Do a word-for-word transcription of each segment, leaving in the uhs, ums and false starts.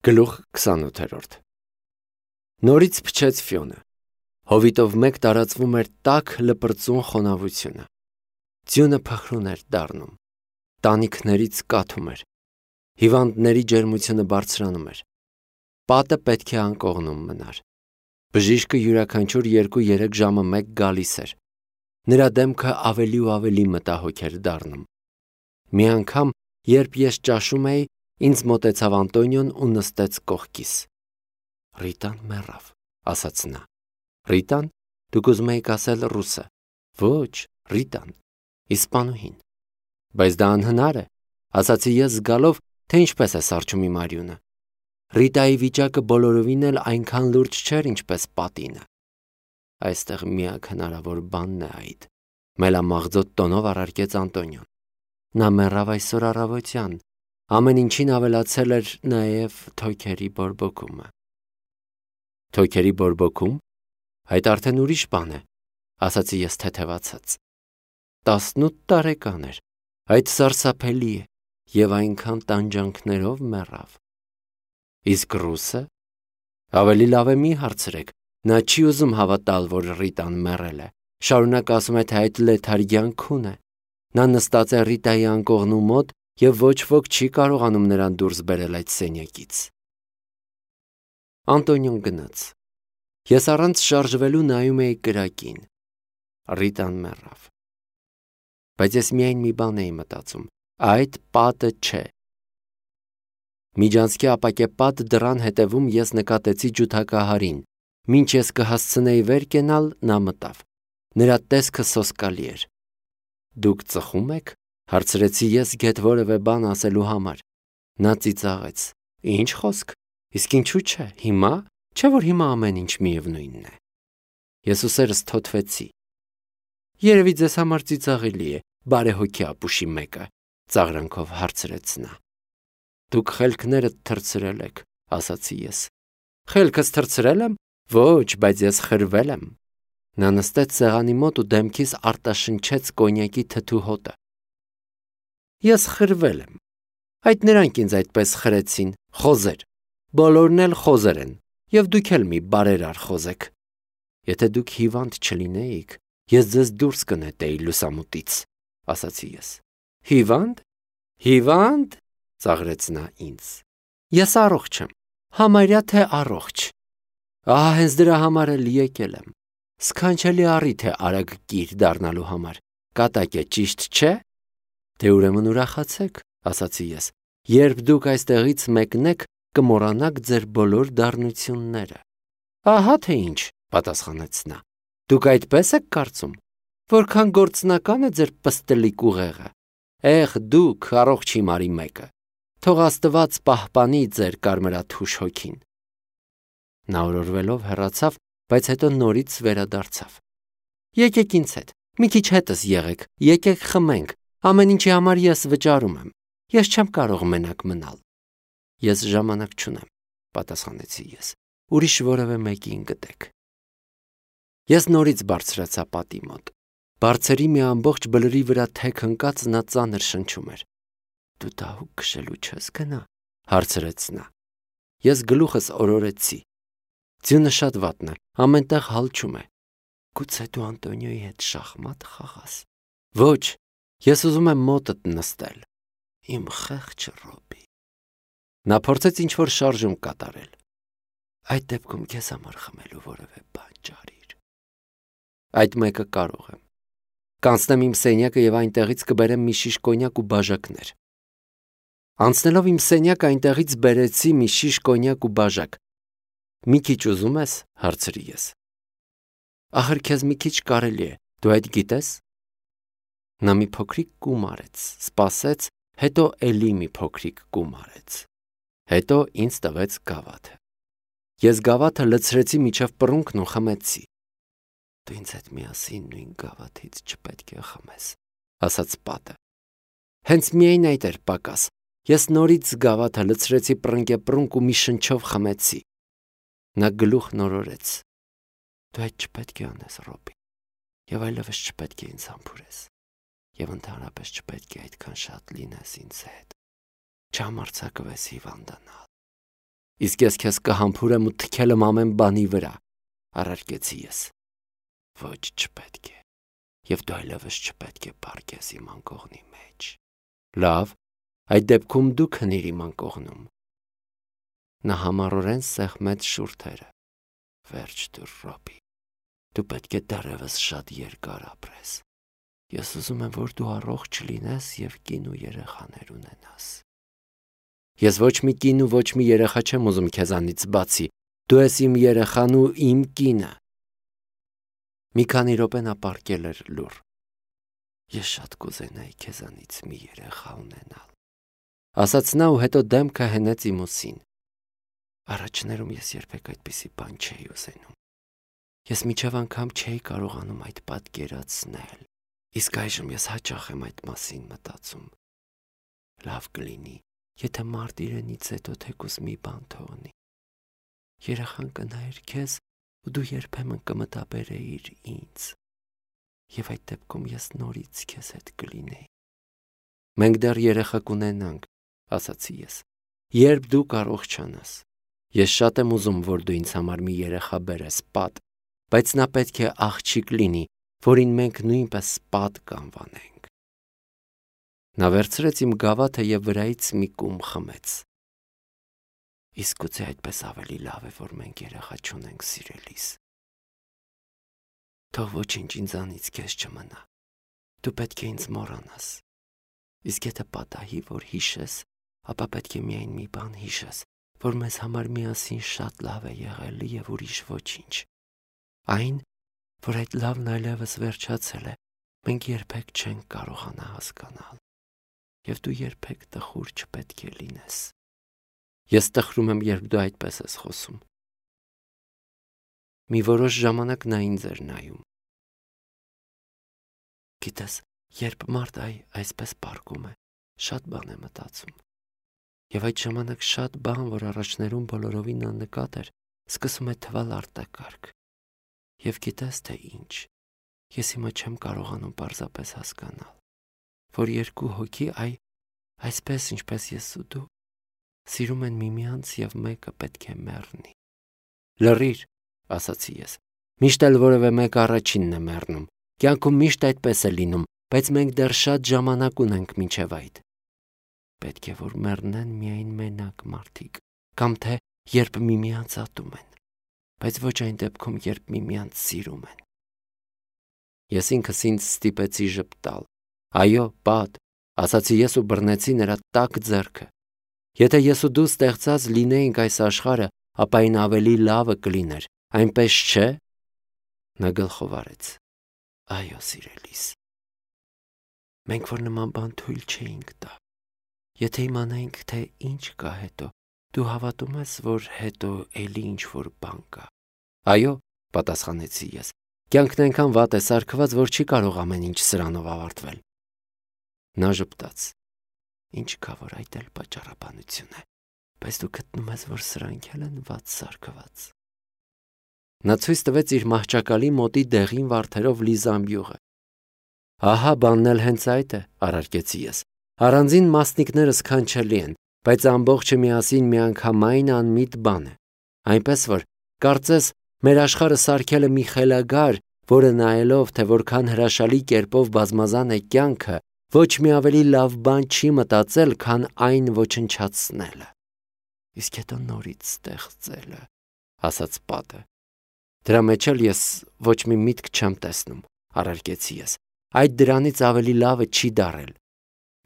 Գլուխ քսանութ Նորից փչեց ֆյոնը։ Հովիտով մեկ տարածվում էր տաք լպրծուն խոնավությունը։ Ձյունը փխրուն էր դառնում։ Տանիքներից կաթում էր։ Հիվանդների ջերմությունը բարձրանում էր։ Պատը պետք է անկողնում մնար։ Բժիշկը յուրաքանչյուր երկու-երեք ժամը մեկ գալիս էր։ Նրա դեմքը ավելի ու ավելի մտահոգ էր դառնում։ Մի անգամ, երբ ես ճաշում էի, ինձ մոտեցավ Անտոնիոն ու նստեց կողքիս։ Ռիտան մեռավ, ասաց նա։ Ռիտան, դուք ուզում եք ասել ռուսը։ Ոչ, Ռիտան, իսպանուհին։ Բայց դա անհնար է, ասացի ես զգալով, թե ինչպես է սառչում իմ արյունը։ Ռիտայի վիճակը բոլորովին էլ այնքան լուրջ չէր, ինչպես պատինը։ Այստեղ միակ հնարավոր բանն է այդ, մելամաղձոտ տոնով առարկեց Անտոնիոն։ Նա մեռավ այսօր առավոտյան, ամեն ինչին ավելացել էր նաև թոքերի բորբոքումը։ Թոքերի բորբոքում, այդ արդեն ուրիշ բան է, ասացի ես թեթևացած։ Տասնութ տարեկան էր, այդ սարսափելի է, և այնքան տանջանքներով մեռավ։ Իսկ ռուսը, ավելի լավ է մի հարցրեք, նա չի ուզում հավատալ, որ Ռիտան մեռել է, շարունակ ասում է, թե այդ լեթարգյան քուն է։ Նա նստած է Ռիտայի անկողնու մոտ և ոչ ոք չի կարողանում նրան դուրս բերել այդ սենյակից։ Անտոնիոն գնաց։ Ես առանց շարժվելու նայում էի կրակին։ Ռիտան մեռավ։ Բայց ես միայն մի բան էի մտածում. այդ պատը չէ։ Միջանցքի ապակե պատ դռան հետևում ես նկատեցի ջութակահարին։ Մինչ ես կհասցնեի վեր կենալ, նա մտավ։ Նրա տեսքը սոսկալի էր։ Դուք ծխում եք, հարցրեցի ես գեթ որևէ բան ասելու համար։ Նա ծիծաղեց։ Ինչ խոսք, իսկ ինչու՞ չէ, հիմա, չէ՞ որ հիմա ամեն ինչ միևնույնն է։ Ես ուսերս թոթվեցի։ Երևի ձեզ համար ծիծաղելի է, բարեհոգի ապուշի մեկը, ծաղրանքով հարցրեց նա։ Դուք խելքներդ թռցրել եք, ասացի ես։ Խելքս թռցրել եմ։ Ոչ, բայց ես խրվել եմ։ Նա նստեց սեղանի մոտ ու դեմքիս արտաշնչեց կոնյակի թթու հոտը։ Ես խրվել եմ։ Այդ նրանք ինձ այդպես խրեցին, խոզեր։ Բոլորն էլ խոզեր են, և դուք էլ մի բարերար խոզ եք։ Եթե դուք հիվանդ չլինեիք, ես ձեզ դուրս կնետեի լուսամուտից, ասացի ես։ Հիվա՞նդ։ Հիվա՞նդ, ծաղրեց նա ինձ։ Ես առողջ եմ, համարյա թե առողջ։ Ահա հենց դրա համար էլ եկել եմ։ Սքանչելի առիթ է արագ կիր դառնալու համար։ Կատակ է, ճիշտ չէ։ Դե ուրեմն ուրախացեք, ասացի ես։ Երբ դուք այստեղից մեկնեք, կմոռանաք ձեր բոլոր դառնությունները։ Ահա թե ինչ, պատասխանեց նա։ Դուք այդպես եք կարծում։ Որքան գործնական է ձեր պստլիկ ուղեղը։ Էհ, դուք առողջ հիմարի մեկը։ Թող Աստված պահպանի ձեր կարմրաթուշ հոգին։ Նա օրորվելով հեռացավ, բայց հետո նորից վերադարձավ։ Եկեք ինձ հետ, մի քիչ հետս եղեք, եկեք խմենք, ամեն ինչի համար ես վճարում եմ։ Ես չեմ կարող մենակ մնալ։ Ես ժամանակ չունեմ, պատասխանեցի ես։ Ուրիշ որևէ մեկին գտեք։ Ես նորից բարձրացա պատի մոտ։ Բարձերի մի ամբողջ բլրի վրա թեք ընկած նա ծանր շնչում էր։ Դու դահուկ քշելու չես գնա, հարցրեց նա։ Ես գլուխս օրորեցի։ Ձյունը շատ վատն է, ամենտեղ հալչում է։ Գուցե դու Անտոնիոյի հետ շախմատ խաղաս։ Ոչ, ես ուզում եմ մոտդ նստել։ Իմ խեղճ Ռոբի։ Նա փորձեց ինչ-որ շարժում կատարել։ Այդ դեպքում քեզ համար խմելու որևէ բան ջարիր։ Այդ մեկը կարող եմ։ Կանցնեմ իմ սենյակը և այնտեղից կբերեմ մի շիշ կոնյակ ու բաժակներ։ Անցնելով իմ սենյակը այնտեղից բերեցի մի շիշ կոնյակ ու բաժակ։ Մի քիչ ուզում ես, հարցրի ես։ Ախր քեզ մի քիչ կարելի է, դու այդ գիտես։ Նա մի փոքրիկ կում արեց, սպասեց, հետո էլի մի փոքրիկ կում արեց։ Հետո ինձ տվեց գավաթը։ Ես գավաթը լցրեցի մինչև պռունգն ու խմեցի։ Դու ինձ հետ միասին նույն գավաթից չպետք է խմես, ասաց պատը։ Հենց միայն այդ էր պակաս։ Ես նորից գավաթը լցրեցի պռնգեպռունգ ու մի շնչով խմեցի։ Նա գլուխ նորորեց։ Դու այդ չպետք է անես, Ռոբի, և այլևս չպետք է ինձ համբուրես, և ընդհանրապես չպետք է այդքան շատ լինես ինձ հետ, չհամարձակվես հիվանդանալ։ Իսկ ես քեզ կհամբուրեմ ու թքել եմ ամեն բանի վրա, առարկեցի ես։ Ոչ, չպետք է, և դու այլևս չպետք է պառկես իմ անկողնի մեջ։ Լավ, այդ դեպքում դու քնիր իմ անկողնում։ Նա համառորեն սեղմեց շուրթերը։ Վերջ դուր, Ռոբի, դու պետք է դեռևս շատ երկար ապրես։ Ես ուզում եմ, որ դու առողջ լինես և կին ու երեխաներ ունենաս։ Ես ոչ մի կին ու ոչ մի երեխա չեմ ուզում քեզանից բացի, դու ես իմ երեխան ու իմ կինը։ Մի քանի րոպե նա պառկել էր լուռ։ Ես շատ կուզենայի քեզանից մի երեխա ունենալ, ասաց նա ու հետո դեմքը հենեց իմ ուսին։ Առաջներում ես երբեք այդպիսի բան չէի ուզենում։ Ես մինչև անգամ չէի կարողանում այդ պատկերացնել, իսկ այժմ ես հաճախ եմ այդ մասին մտածում։ Լավ կլինի, եթե մարդ իրենից հետո թեկուզ մի բան թողնի։ Երեխան կնայեր քեզ ու դու երբեմն կմտաբերեիր ինձ, և այդ դեպքում ես նորից քեզ հետ կլինեի։ Մենք դեռ երեխա կունենանք, ասացի ես, երբ դու կառողջանաս։ Ես շատ եմ ուզում, որ դու ինձ համար մի երեխա բերես, Պատ, բայց նա պետք է աղջիկ լինի, որին մենք նույնպես Պատ կանվանենք։ Նա վերցրեց իմ գավաթը և վրայից մի կում խմեց։ Իսկ գուցե այդպես ավելի լավ է, որ մենք երեխա չունենք, սիրելիս։ Թող ոչինչ ինձանից քեզ չմնա։ Դու պետք է ինձ մոռանաս։ Իսկ եթե պատահի, որ հիշես, ապա պետք է միայն մի բան հիշես, որ մեզ համար միասին շատ լավ է եղել և ուրիշ ոչինչ։ Այն, որ այդ լավն այլևս վերջացել է, մենք երբեք չենք կարողանա հասկանալ, և դու երբեք տխուր չպետք է լինես։ Ես տխրում եմ, երբ դու այդպես ես խոսում։ Մի որոշ ժամանակ նա ինձ էր նայում։ Գիտես, երբ մարդ այ այսպես պառկում է, շատ բան է մտածում։ Եվ այդ ժամանակ շատ բան, որ առաջներում բոլորովին աննկատ էր, սկսում է թվալ արտակարգ։ Եվ գիտես թե ինչ, ես հիմա չեմ կարողանում պարզապես հասկանալ, որ երկու հոգի այ այսպես ինչպես ես ու դու սիրում են միմյանց և մեկը պետք է մեռնի։ Լռիր, ասացի ես, միշտ էլ որևէ մեկը առաջինն է մեռնում, կյանքում միշտ այդպես է լինում, բայց մենք դեռ շատ ժամանակ ունենք մինչև այդ։ Պետք է որ մեռնեն միայն մենակ մարդիկ, կամ թե երբ միմյանց ատում են, բայց ոչ այն դեպքում, երբ միմյանց սիրում են։ Ես ինքս ինձ ստիպեցի ժպտալ։ Այո, Պատ, ասացի ես ու բռնեցի նրա տաք ձեռքը։ Եթե ես ու դու ստեղծած լինեինք այս աշխարհը, ապա այն ավելի լավը կլիներ, այնպես չէ։ Նա գլխով արեց։ Այո, սիրելիս։ Մենք որ նման բան թույլ չէինք տա։ Եթե իմանայինք, թե ինչ կա հետո, դու հավատում ես, որ հետո էլի ինչ-որ բան կա։ Այո, պատասխանեցի ես, կյանքն այնքան վատ է սարքված, որ չի կարող ամեն ինչ սրանով ավարտվել։ Նա ժպտաց։ Ինչ կա, որ այդ էլ պատճառաբանություն է, բայց դու գտնում ես, որ սրանք էլ են վատ սարքված։ Նա ցույց տվեց իր մահճակալի մոտի դեղին վարդերով լի զամբյուղը։ Ահա բանն էլ հենց այդ է, առարկեցի ես։ Առանձին մասնիկները սքանչելի են, բայց ամբողջը միասին միանգամայն անմիտ բան է։ Այնպես որ, կարծես, մեր աշխարհը սարքել է մի խելագար, որը նայելով, թե որքան հրաշալի կերպով բազմազան է կյանքը, ոչ մի ավելի լավ բան չի մտածել, քան այն ոչնչացնելը։ Իսկ հետո նորից ստեղծելը, ասաց Պատը։ Դրա մեջ էլ ես ոչ մի միտք չեմ տեսնում, առարկեցի ես։ Այդ դրանից ավելի լավը չի դարել։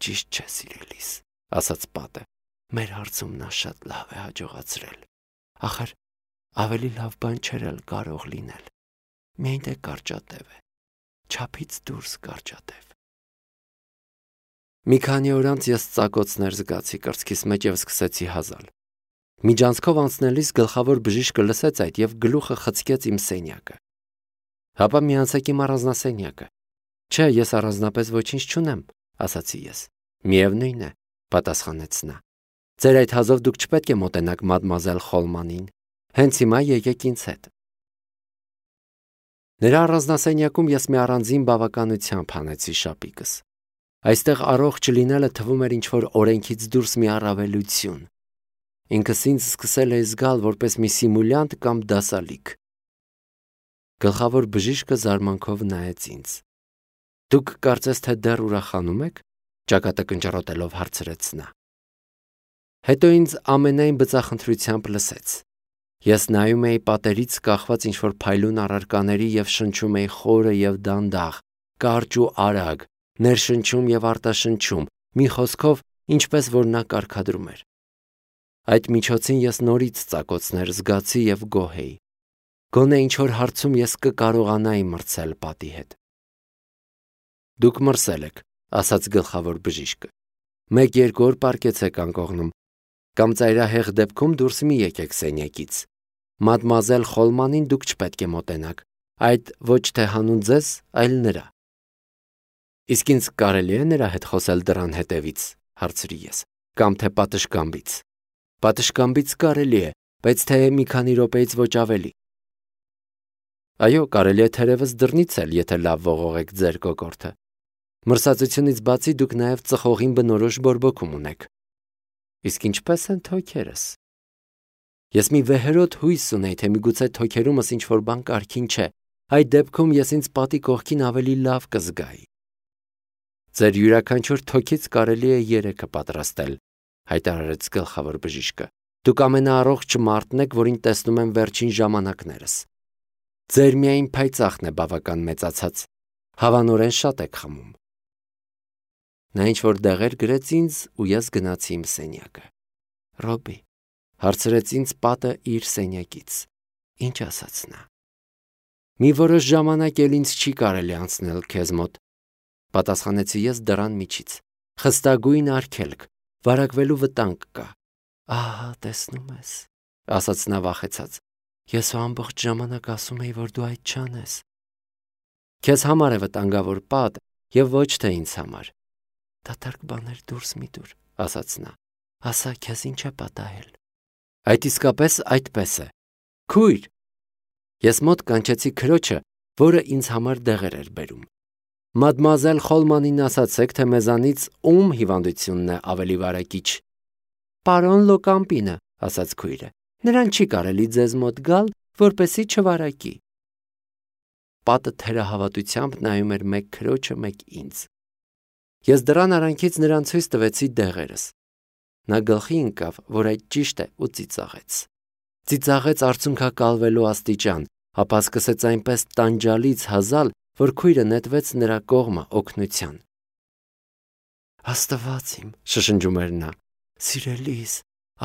Ճիշտ չէ, սիրելիս, ասաց Պատը։ Մեր հարցում նա շատ լավ է հաջողացրել։ Ախր ավելի լավ բան չէր էլ կարող լինել։ Միայն թե կարճատև է, չափից դուրս կարճատև։ Մի քանի օր անց ես ծակոցներ զգացի կրծքիս մեջ և սկսեցի հազալ։ Միջանցքով անցնելիս գլխավոր բժիշկը լսեց այդ և գլուխը խցկեց իմ սենյակը։ Հապա միացեք իմ առանձնասենյակը։ Չէ, ես առանձնապես ոչինչ չունեմ, ասացի ես։ Միևնույն է, պատասխանեց նա։ Ձեր այդ հազով դուք չպետք է մոտենաք մադմուազել Խոլմանին։ Հենց հիմա եկեք ինձ հետ։ Նրա առանձնասենյակում ես մի առանձին բավականությամբ հանեցի շապիկս։ Այստեղ առողջ լինելը թվում էր ինչ-որ օրենքից դուրս մի առավելություն։ Ինքս ինձ սկսել էի զգալ որպես մի սիմուլյանտ կամ դասալիկ։ Գլխավոր բժիշկը զարմանքով նայեց ինձ։ Դուք կարծես թե դեռ ուրախանում եք, ճակատը կնճռոտելով հարցրեց նա։ Հետո ինձ ամենայն բծախնդրությամբ լսեց։ Ես նայում էի պատերից կախված ինչ-որ փայլուն առարկաների և շնչում էի խորը և դանդաղ, կարճ ու արագ, ներշնչում և արտաշնչում, մի խոսքով, ինչպես որ նա կարգադրում էր։ Այդ միջոցին ես նորից ծակոցներ զգացի և գոհ էի։ Գոնե ինչ-որ հարցում ես կկարողանայի մրցել պատի հետ։ Դուք մրսել եք, ասաց գլխավոր բժիշկը։ Մեկ-երկու օր պառկեցեք անկողնում, կամ ծայրահեղ դեպքում դուրս մի եկեք սենյակից։ Մադմուազել Խոլմանին դուք չպետք է մոտենաք, այդ ոչ թե հանուն ձեզ, այլ նրա։ Իսկ ինձ կարելի է նրա հետ խոսել դռան հետևից, հարցրի ես, կամ թե պատշգամբից։ Պատշգամբից կարելի է, բայց թե մի քանի րոպեից ոչ ավելի։ Այո, կարելի է թերևս դռնից էլ, եթե լավ ողողեք ձեր կոկորդը։ Մրսածությունից բացի դուք նաև ծխողին բնորոշ բորբոքում ունեք։ Իսկ ինչպես են թոքերս։ Ես մի վեհերոտ հույս ունեի, թե միգուցե թոքերումս ինչ-որ բան կարգին չէ, այդ դեպքում ես ինձ պատի կողքին ավելի լավ կզգայի։ Ձեր յուրաքանչյուր թոքից կարելի է երեքը պատրաստել, հայտարարեց գլխավոր բժիշկը։ Դուք ամենաառողջ մարդն եք, որին տեսնում եմ վերջին ժամանակներս։ Ձեր միայն փայծաղն է բավական մեծացած, հավանորեն շատ եք խմում։ Նա ինչ-որ դեղեր գրեց ինձ ու ես գնացի իմ սենյակը։ Ռոբի, հարցրեց ինձ պատը իր սենյակից։ Ինչ ասաց նա։ Մի որոշ ժամանակ էլ ինձ չի կարելի անցնել քեզ մոտ, պատասխանեցի ես դռան միջից։ Խստագույն արգելք, վարակվելու վտանգ կա։ Ահա, տեսնում ես, ասաց նա վախեցած։ Ես ամբողջ ժամանակ ասում էի, որ դու այդ չանես։ Քեզ համար է վտանգավոր պատ եւ ոչ թե ինձ համար։ Դատարկ բաներ դուրս մի դուր, ասաց նա։ Ասա, քեզ ինչ է պատահել։ Այդ իսկապես այդպես է։ Քույր։ Ես մոտ կանչեցի քրոջը, որը ինձ համար դեղեր էր բերում։ Մադմուազել Խոլմանին ասացեք, թե մեզանից ում հիվանդությունն է ավելի վարակիչ։ Պարոն Լոկամպինը, ասաց քույրը։ Նրան չի կարելի ձեզ մոտ գալ, որպեսզի չվարակի։ Պատը թերահավատությամբ նայում էր մեկ քրոջը, մեկ ինձ։ Ես դռան արանքից նրան ցույց տվեցի դեղերս։ Նա գլխի ընկավ, որ այդ ճիշտ է ու ծիծաղեց։ Ծիծաղեց արցունքակալվելու աստիճան, ապա սկսեց այնպես տանջալից հազալ, որ քույրը նետվեց նրա կողմը օգնության։ Աստված իմ, շշնջում էր նա, սիրելիս,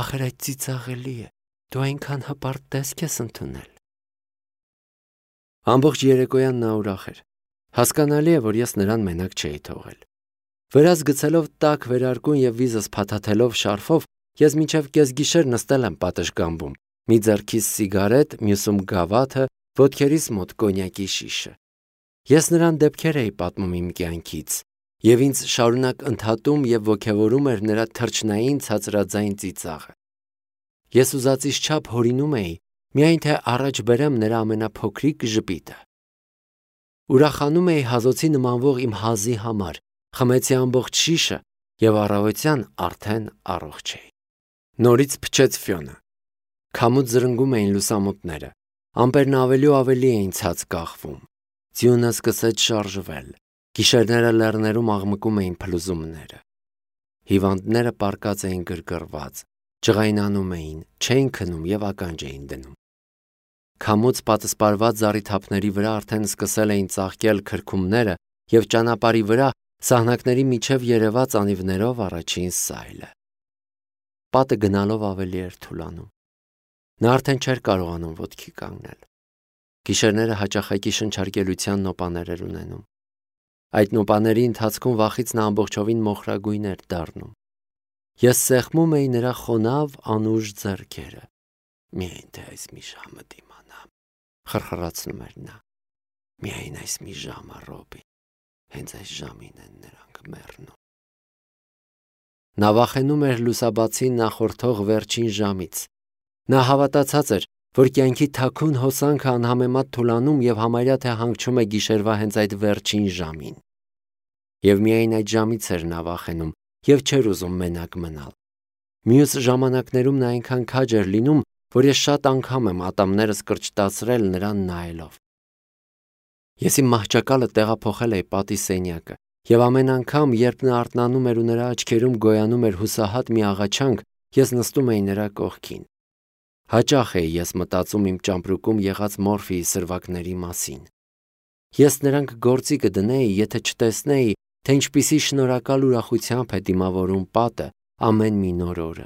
ախր այդ ծիծաղելի է, դու այնքան հպարտ տեսք ես ընդունել։ Ամբողջ երեկոյան նա ուրախ էր։ Հասկանալի է, որ ես նրան մենակ չէի թողել։ Վերած գցելով տաք վերարկուն և վիզս փաթաթելով շարֆով, ես մինչև կեսգիշեր նստել եմ պատշգամբում, մի ձեռքիս սիգարետ, մյուսում գավաթը, ոտքերիս մոտ կոնյակի շիշը։ Ես նրան դեպքեր էի պատմում իմ կյանքից, և ինձ շարունակ ընդհատում և ոգևորում էր նրա թռչնային ցածրաձայն ծիծաղը։ Ես ուզածից չափ հորինում էի, միայն թե առաջ բերեմ նրա ամենափոքրիկ ժպիտը։ Ուրախանում էի հազոցի նմանվող իմ հազի համար, խմեցի ամբողջ շիշը և առավոտյան արդեն առողջ էի։ Նորից փչեց ֆյոնը։ Քամուց զրնգում էին լուսամուտները, ամպերն ավելի ու ավելի էին ցած կախվում։ Ձյունը սկսեց շարժվել, գիշերները լեռներում աղմկում էին փլուզումները։ Հիվանդները պառկած էին գրգռված, ջղայնանում էին, չէին քնում և ականջ էին դնում։ Քամուց պատսպարված զառիթափների վրա արդեն սկսել էին ծաղկել քրքումները և ճանապարհի վրա սահնակների միջև երևաց անիվներով առաջին սայլը։ Պատը գնալով ավելի էր թուլանում։ Նա արդեն չէր կարողանում ոտքի կանգնել։ Գիշերները հաճախակի շնչարկելության նոպաներ էր ունենում։ Այդ նոպաների ընթացքում վախից նա ամբողջովին մոխրագույն էր դառնում։ Ես սեղմում էի նրա խոնավ անուշ ձեռքերը։ Միայն թե այս մի ժամը դիմանամ, խրխրացնում էր նա։ Միայն այս մի ժամը, Ռոբի, հենց այս ժամին են նրանք մեռնում։ Նա վախենում էր լուսաբացի նախորդող վերջին ժամից։ Նա հավատացած էր, որ կյանքի թաքուն հոսանքը անհամեմատ թուլանում և համարյա թե հանգչում է գիշերվա հենց այդ վերջին ժամին։ Եվ միայն այդ ժամից էր նա վախենում և չէր ուզում մենակ մնալ։ Մյուս ժամանակներում նա այնքան քաջ էր լինում, որ ես շատ անգամ եմ ատամներս կրճտացրել նրան նայելով։ Ես իմ մահճակալը տեղափոխել էի պատի սենյակը, եւ ամեն անգամ, երբ նա արթնանում էր ու նրա աչքերում գոյանում էր հուսահատ մի աղաչանք, ես նստում էի նրա կողքին։ Հաճախ էի ես մտածում իմ ճամպրուկում եղած մորֆիի սրվակների մասին։ Ես նրանք գործի կդնեի, եթե չտեսնեի, թե ինչպիսի շնորհակալ ուրախությամբ է դիմավորում պատը ամեն մի նոր օրը։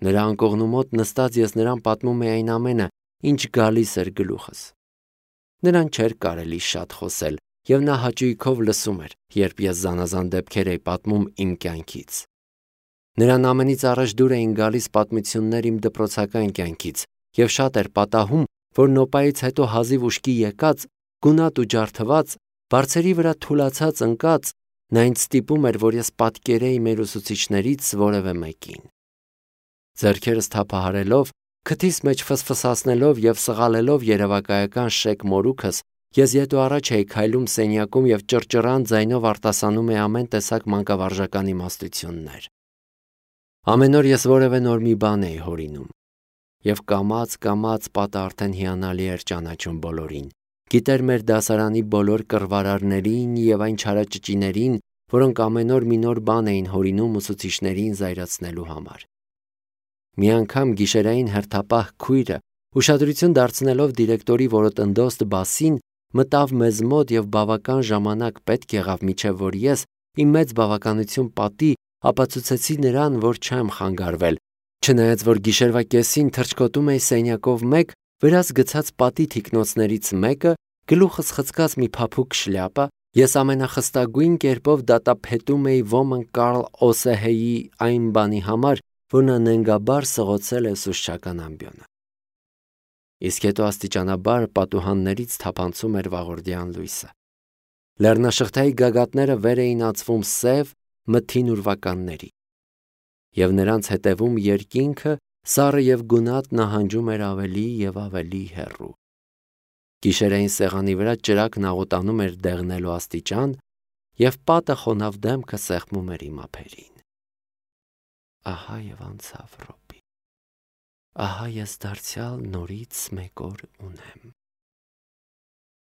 Նրա անկողնու մոտ նստած ես նրան պատմում էի այն ամենը, ինչ գալիս էր գլուխս։ Նրան չէր կարելի շատ խոսել, եւ նա հաճույքով լսում էր, երբ ես զանազան դեպքեր էի պատմում իմ կյանքից։ Նրան ամենից առաջ դուր էին գալիս պատմություններ իմ դպրոցական կյանքից, եւ շատ էր պատահում, որ նոպայից հետո հազիվ ուշքի եկած, գունատ ու ջարդված, բարձերի վրա թուլացած ընկած, նա ինձ ստիպում էր, որ ես պատկերեի մեր ուսուցիչներից որևէ մեկին։ Ձեռքերս թափահարելով, քթիս մեջ ֆսֆսացնելով եւ սղալելով երևակայական շեկ մորուքս, ես ետ ու առաջ էի քայլում սենյակում եւ ճռճռան ձայնով արտասանում էի ամեն տեսակ մանկավարժական իմաստություններ։ Ամեն օր ես որևէ նոր մի բան էի հորինում, եւ կամաց-կամաց պատը արդեն հիանալի էր ճանաչում բոլորին, գիտեր մեր դասարանի բոլոր կռվարարներին եւ այն չարաճճիներին, որոնք ամեն օր մի նոր բան էին հորինում ուսուցիչներին զայրացնելու համար։ Մի անգամ գիշերային հերթապահ քույրը, ուշադրություն դարձնելով դիրեկտորի որոտնդոստ բասին, մտավ մեզ մոտ եւ բավական ժամանակ պետք եղավ միջև որ ես իմ մեծ բավականություն պատի ապացուցեցի նրան, որ չեմ խանգարվել, չնայած որ գիշերվա կեսին թռչկոտում էի սենյակով մեկ, վրաս գցած պատի թիկնոցներից մեկը, գլուխս խցկած մի փափուկ շլյապա, ես ամենախստագույն կերպով դատապետում էի ոմն Կարլ Օսեհեի այն բանի համար, որ նա նենգաբար սղոցել է ուսուցչական ամբիոնը։ Իսկ հետո աստիճանաբար պատուհաններից թափանցում էր վաղորդյան լույսը։ Լեռնաշղթայի գագաթները վեր էին ածվում սև, մթին ուրվականների, եւ նրանց հետևում երկինքը, սառը եւ գունատ նահանջում էր ավելի եւ ավելի հեռու։ Գիշերային սեղանի վրա ճրագն աղոտանում էր դեղնելու աստիճան, եւ պատը խոնավ դեմքը սեղմում էր իմ ափերին։ Ահա եւ անցավ րոպի։ Ահա ես դարձյալ նորից մեկ օր ունեմ։